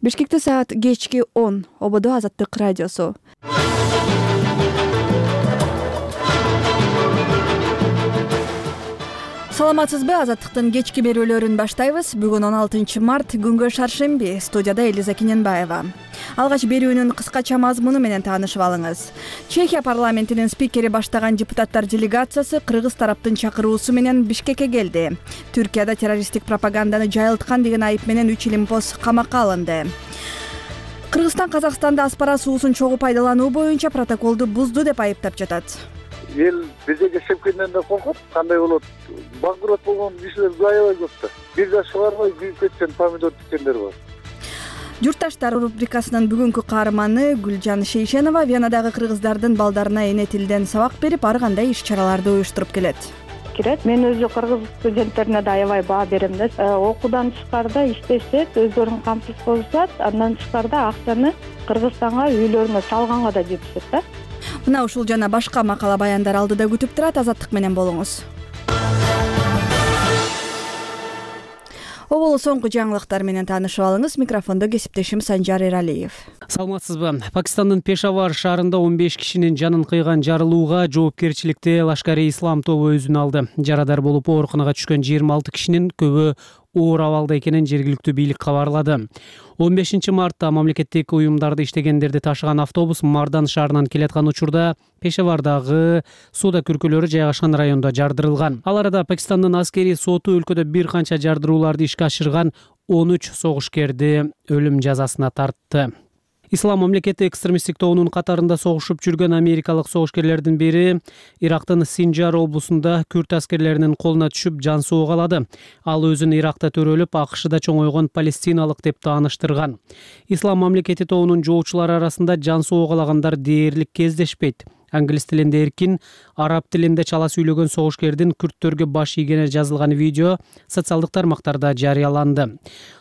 Бишкекте саат кечки 10. ОБД Азаттык радиосу. Саламатсызбы? Азаттыктын кечки берүүлөрүн баштайбыз. Бүгүн 16 март, күнгө шаршемби. Студияда Элиза Кененбаева. Алгач берүүнүн кыскача мазмуну менен таанышып алыңыз. Чехия парламентинин спикери баштаган депутаттар делегациясы кыргыз тараптын чакыруусу менен Бишкекке келди. Түркияда террористтик пропаганданы жайылткан деген айып менен 3 илимпоз камакка алынды. Кыргызстан Казакстанда аспара суусун чогуу пайдалануу боюнча протоколду бузду деп айыптап жатат. Эл бизге кешепкенден да коркот, кандай болот? Банкрот болгон кишилер аябай көп да. Бир жаш барбай күйүп кеткен помидор тиккендер бар. Журтташтар рубрикасынын бүгүнкү каарманы Гүлжан Шейшенова Венадагы кыргыздардын балдарына эне тилден сабак берип, ар кандай иш-чараларды уюштуруп келет. Мен өзү кыргыз студенттерине да аябай баа берем да. Окуудан тышкарыда иштешет, өздөрүн камсыз кылышат, андан тышкарыда акчаны Кыргызстанга үйлөрүнө салганга да жетишет да. Мына ушул жана башка макала баяндар алдыда күтүп турат. Азаттык менен болуңуз. Оболу соңку жаңылыктар менен таанышып алыңыз. Микрофондо кесиптешим Санжар Эралиев. Саламатсызбы? Пакистандын Пешавар шаарында 15 кишинин жанын кыйган жарылууга жоопкерчиликти Лашкар-и-Ислам тобу өзүнө алды. Жарадар болуп ооруканага түшкөн 26 кишинин көбү оор абалда экенин жергиликтүү бийлик кабарлады. 15 мартта мамлекеттик уюмдарды иштегендерди ташыган автобус Мардан шаарынан келаткан учурда Пешавардагы соода күркөлөрү жайгашкан райондо жардырылган. Ал арада Пакистандын аскери соту өлкөдө бир канча жардырууларды ишке ашырган 13 согушкерди өлүм жазасына тартты. Ислам мамлекети экстремисттик тобунун катарында согушуп жүргөн америкалык согушкерлердин бири Ирактын Синджар облусунда күрд аскерлеринин колуна түшүп жан соого алады. Ал өзүн Иракта төрөлүп, АКШда чоңойгон палестиналык деп тааныштырган. Ислам мамлекети тобунун жоочулары арасында жан соого алагандар дээрлик кездешпейт. Англис тилинде эркин, араб тилинде чала сүйлөгөн согушкердин күрдтөргө баш ийгени жазылган видео социалдык тармактарда жарыяланды.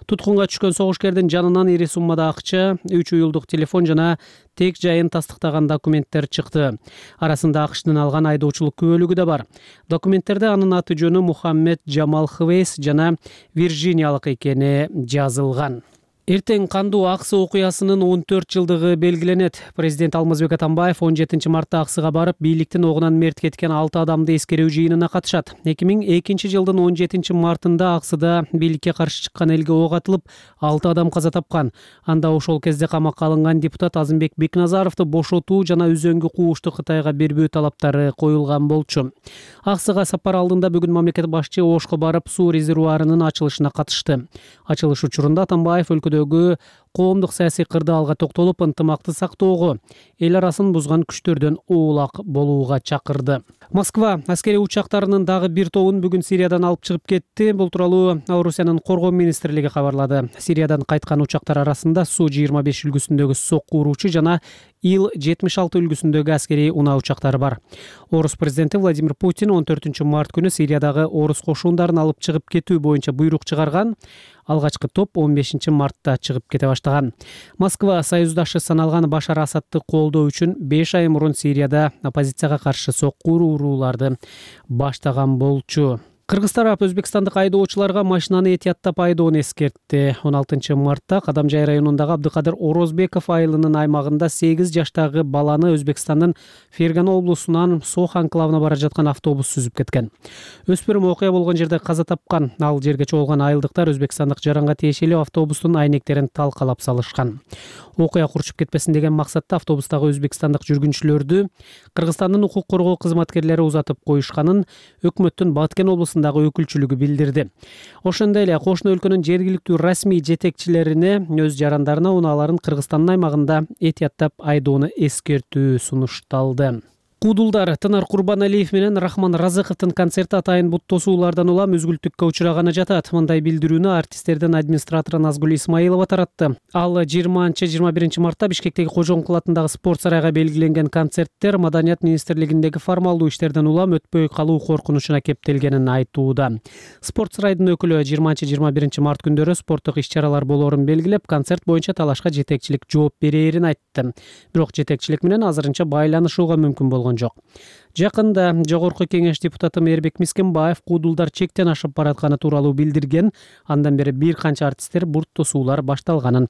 Туткунга түшкөн согушкердин жанынан ири суммада акча, 3 уюлдук телефон жана тек жайын тастыктаган документтер чыкты. Арасында АКШтын алган айдоочулук күбөлүгү да бар. Документтерде анын аты жөнү Мухаммед Джамал Хвейс жана Вирджиниялык экени жазылган. Эртең кандуу Аксы окуясынын 14 жылдыгы белгиленет. Президент Алмазбек Атамбаев 17 мартта Аксыга барып, бийликтин огунан мерт кеткен 6 адамды эскерүү жыйынына катышат. 2002 жылдын 17 мартында Аксыда бийликке каршы чыккан элге ок атылып, 6 адам каза тапкан. Анда ошол кезде камакка алынган депутат Азымбек Бекназаровду бошотуу жана үзөңгү куушту Кытайга бербөө талаптары коюлган болчу. Аксыга сапар алдында бүгүн мамлекет башчы Ошко барып, суу резервуарынын ачылышына катышты. Ачылыш учурунда Атамбаев өлкөдөгү коомдук саясий кырдаалга токтолуп, ынтымакты сактоого, эл арасын бузган күчтөрдөн оолак болууга чакырды. Москва аскери учактарынын дагы бир тобун бүгүн Сириядан алып чыгып кетти. Бул тууралуу Орусиянын коргоо министрлиги кабарлады. Сириядан кайткан учактар арасында Су-25 үлгүсүндөгү сокку уруучу жана Ил-76 үлгүсүндөгү аскерий унаа учактары бар. Орус президенти Владимир Путин 14 март күнү Сириядагы орус кошундарын алып чыгып кетүү боюнча буйрук чыгарган. Алгачкы топ 15 мартта чыгып кете баштаган. Москва союздашы саналган Башар Асадты колдоо үчүн 5 ай мурун Сирияда оппозицияга каршы сокку урууларды баштаган болчу. Кыргыз тарап өзбекстандык айдоочуларга машинаны этияттап айдоону эскертти. 16 мартта Кадамжай районундагы Абдыкадыр Орозбеков айылынын аймагында 8 жаштагы баланы Өзбекстандын Фергана облусунан Сох анклавына бара жаткан автобус сүзүп кеткен. Өспүрүм окуя болгон жерде каза тапкан. Ал жерге чогулган айылдыктар Өзбекстандык жаранга тиешелүү автобустун айнектерин талкалап салышкан. Окуя курчуп кетпесин деген максатта автобустагы өзбекстандык жүргүнчүлөрдү Кыргызстандын укук коргоо кызматкерлери узатып коюшканын өкмөттүн Баткен облусундагы өкүлчүлүгү билдирди. Ошондой эле кошуна өлкөнүн жергиликтүү расмий жетекчилерине өз жарандарына унааларын Кыргызстандын аймагында этияттап айдоону эскертүү сунушталды. Куудулдар Тынар Курбаналиев менен Рахман Разыковдун концерти атайын бут тосуулардан улам үзгүлтүккө учураганы жатат. Мындай билдирүүнү артисттердин администратору Назгүл Исмаилова таратты. Ал 20-21 мартта Бишкектеги Кожоңкул атындагы спорт сарайга белгиленген концерттер Маданият министрлигиндеги формалдуу иштерден улам өтпөй калуу коркунучуна кептелгенин айтууда. Спорт сарайдын өкүлү 20-21 март күндөрү спорттук иш-чаралар болоорун белгилеп, концерт боюнча талашка жетекчилик жооп берээрин айтты. Бирок жетекчилик менен азырынча байланышууга мүмкүн болгон жок. Жакында Жогорку кеңеш депутаты Мээрбек Мискенбаев куудулдар чектен ашып баратканы тууралуу билдирген. Андан бери бир канча артисттер бурт тосуулар башталганын